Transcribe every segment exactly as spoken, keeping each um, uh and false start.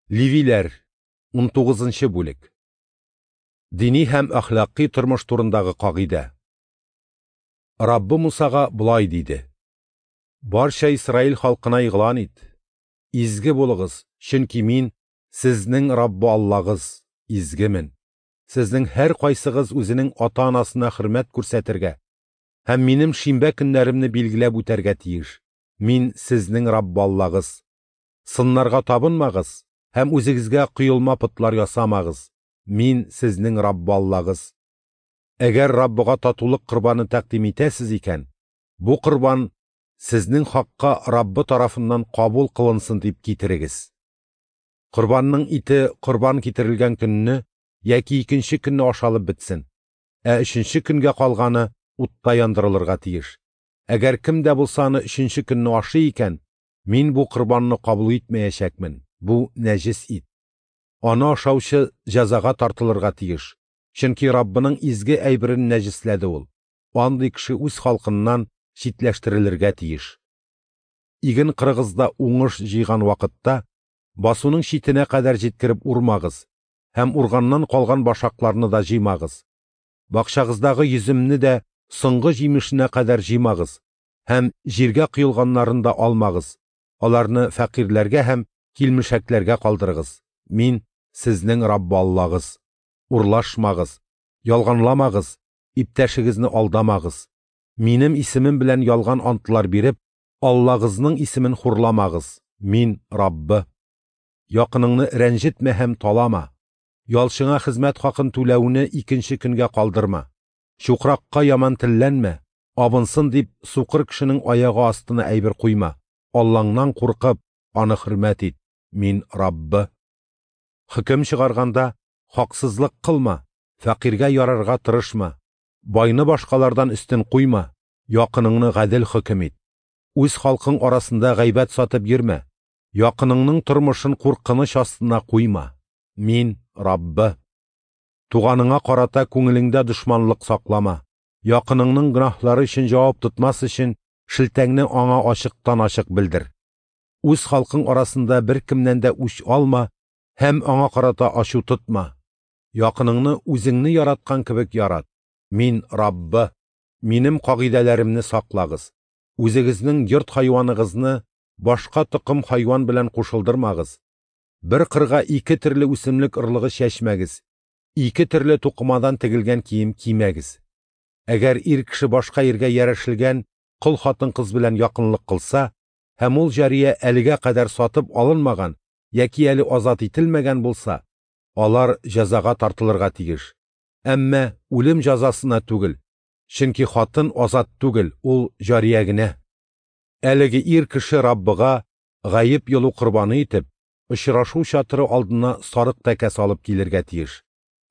Левиләр, унтугызынчы бүлек. Дини һәм әхлакый тормыш турындагы кагыйдә. Раббы Мусага болай диде: Барча Исраил халкына игълан ит: Изге булыгыз, чөнки мин сезнең Раббы Аллагыз, изгемен. Сезнең һәр кайсыгыз үзенең ата-анасына хөрмәт күрсәтергә һәм минем шимбә көннәремне билгеләп үтәргә тиеш. Мин сезнең Раббы Аллагыз. Сыннарга табынмагыз һәм үзегезгә коелма потлар ясамагыз. Мин сезнең Раббы Аллагыз. Әгәр Раббыга татулык корбаны тәкъдим итәсез икән, бу корбан сезнең хакка Раббы тарафыннан кабул кылынсын дип китерегез. Корбанның ите корбан китерелгән көнне яки икенче көнне ашалып бетсен, ә өченче көнгә калганы утта яндырылырга тиеш. Әгәр кем дә булса аны өченче көнне ашый икән, мин бу корбанны кабул итмәячәкмен. Бу нәҗес ит. Аны ашаучы җәзага тартылырга тиеш, чөнки Раббының изге әйберен нәҗесләде ул. Андый кеше үз халкыннан читләштерелергә тиеш. Иген кырыгызда уңыш җыйган вакытта басуның читенә кадәр җиткереп урмагыз һәм урганнан калган башакларны да җыймагыз. Бакчагыздагы йөземне дә соңгы җимешенә кадәр җыймагыз һәм җиргә коелганнарын да алмагыз. Аларны фәкыйрьләргә һәм килмешәкләргә калдырыгыз. Мин сезнең Раббы Аллагыз. Урлашмагыз, ялганламагыз, иптәшегезне алдамагыз. Минем исемем белән ялган антлар биреп, Аллагызның исемен хурламагыз. Мин Раббы. Якыныңны рәнҗетмә һәм талама. Ялчыңа хезмәт хакын түләүне икенче көнгә калдырма. Чукракка яман телләнмә, абынсын дип сукыр кешенең аягы астына әйбер куйма. Аллаңнан куркып, аны хөрмәт ит. Мин Раббы. Хөкем чыгарганда хаксызлык кылма, фәкыйрьгә ярарга тырышма. Байны башкалардан өстен куйма, якыныңны гадел хөкем ит. Үз халкың арасында гайбәт сатып йөрмә. Якыныңның тормышын куркыныч астына куйма. Мин Раббы. Туганыңа карата күңелеңдә дошманлык саклама. Якыныңның гөнаһлары өчен җавап тотмас өчен шелтәңне аңа ачыктан-ачык белдер. Үз халкың арасында бер кемнән дә үч алма һәм аңа карата ачу тотма. Якыныңны үзеңне яраткан кебек ярат. Мин Раббы. Минем кагыйдәләремне саклагыз. Үзегезнең йорт хайваныгызны башка токым хайван белән кушылдырмагыз. Бер кырга ике төрле үсемлек орлыгы чәчмәгез. Ике төрле тукымадан тегелгән кием кимәгез. Әгәр ир кеше башка иргә ярәшелгән кол хатын-кыз белән якынлык кылса, һәм ул җария әлегә кадәр сатып алынмаган яки әле азат ителмәгән булса, алар җәзага тартылырга тиеш. Әмма үлем җәзасына түгел, чөнки хатын азат түгел, ул җария генә. Әлеге ир кеше Раббыга гаеп йолу корбаны итеп, очрашу чатыры алдына сарык тәкә салып килергә тиеш.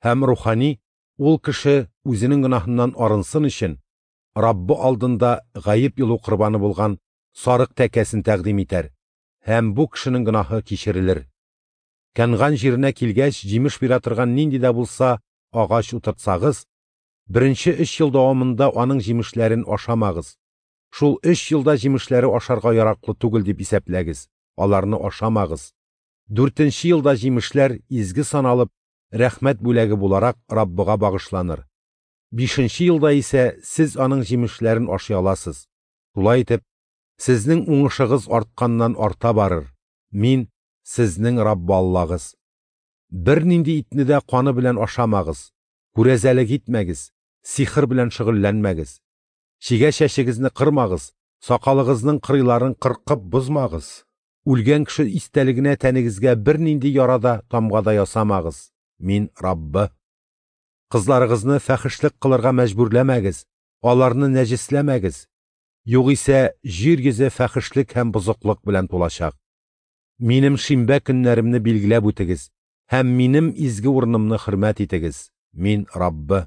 Һәм рухани ул кеше үзенең гөнаһыннан арынсын өчен Раббы алдында гаеп йолу корбаны булган сарык тәкәсен тәкъдим итәр, һәм бу кешенең гөнаһы кичерелер. Кәнган җиренә килгәч, җимеш бирә торган нинди дә булса агач утыртсагыз, беренче өч ел дәвамында аның җимешләрен ашамагыз. Шул өч елда җимешләре ашарга яраклы түгел дип исәпләгез, аларны ашамагыз. Дүртенче елда җимешләр изге саналып, рәхмәт бүләге буларак Раббыга багышланыр. Бишенче елда исә сез аның җимешләрен ашый аласыз. Шулай итеп, сезнең уңышыгыз артканнан арта барыр. Мин сезнең Раббы Аллагыз. Бер нинди итне дә каны белән ашамагыз, күрәзәлек итмәгез, сихер белән шөгыльләнмәгез. Чигә чәчегезне кырмагыз, сакалыгызның кырыйларын кыркып бозмагыз. Үлгән кеше истәлегенә тәнегезгә бер нинди яра да, тамга да ясамагыз. Мин Раббы. Кызларыгызны фәхешлек кылырга мәҗбүрләмәгез, аларны нәҗесләмәгез. Югыйсә җир йөзе фәхешлек һәм бозыклык белән тулачак. Минем шимбә көннәремне билгеләп үтегез һәм минем изге урынымны хөрмәт итегез. Мин Раббы.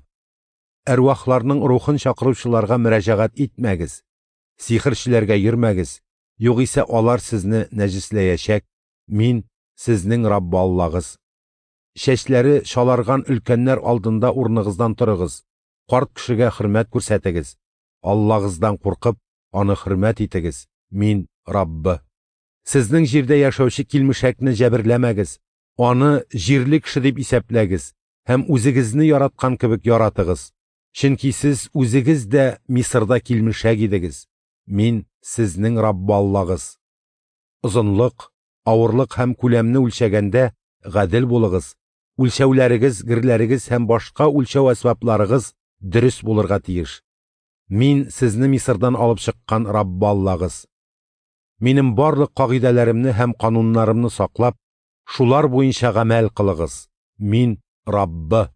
Әрвахларның рухын чакыручыларга мөрәҗәгать итмәгез, сихерчеләргә йөрмәгез, югыйсә алар сезне нәҗесләячәк. Мин сезнең Раббы Аллагыз. Чәчләре чаларган өлкәннәр алдында урыныгыздан торыгыз, карт кешегә хөрмәт күрсәтегез. Аллагыздан куркып, аны хөрмәт итегез. Мин Раббы. Сезнең җирдә яшәүче килмешәкне җәберләмәгез, Аны җирле кеше дип исәпләгез һәм үзегезне яраткан кебек яратыгыз, чөнки сез үзегез дә Мисырда килмешәк идегез. Мин – сезнең Раббы Аллагыз. Озынлык, авырлык һәм күләмне үлчәгәндә гадел булыгыз, үлчәүләрегез, герләрегез һәм башка үлчәү әсбапларыгыз дөрес булырга тиеш. Мин – сезне Мисырдан алып чыккан Раббы Аллагыз. Минем барлык кагыйдәләремне һәм кануннарымны саклап, шулар буенча гамәл кылыгыз. Мин – Раббы.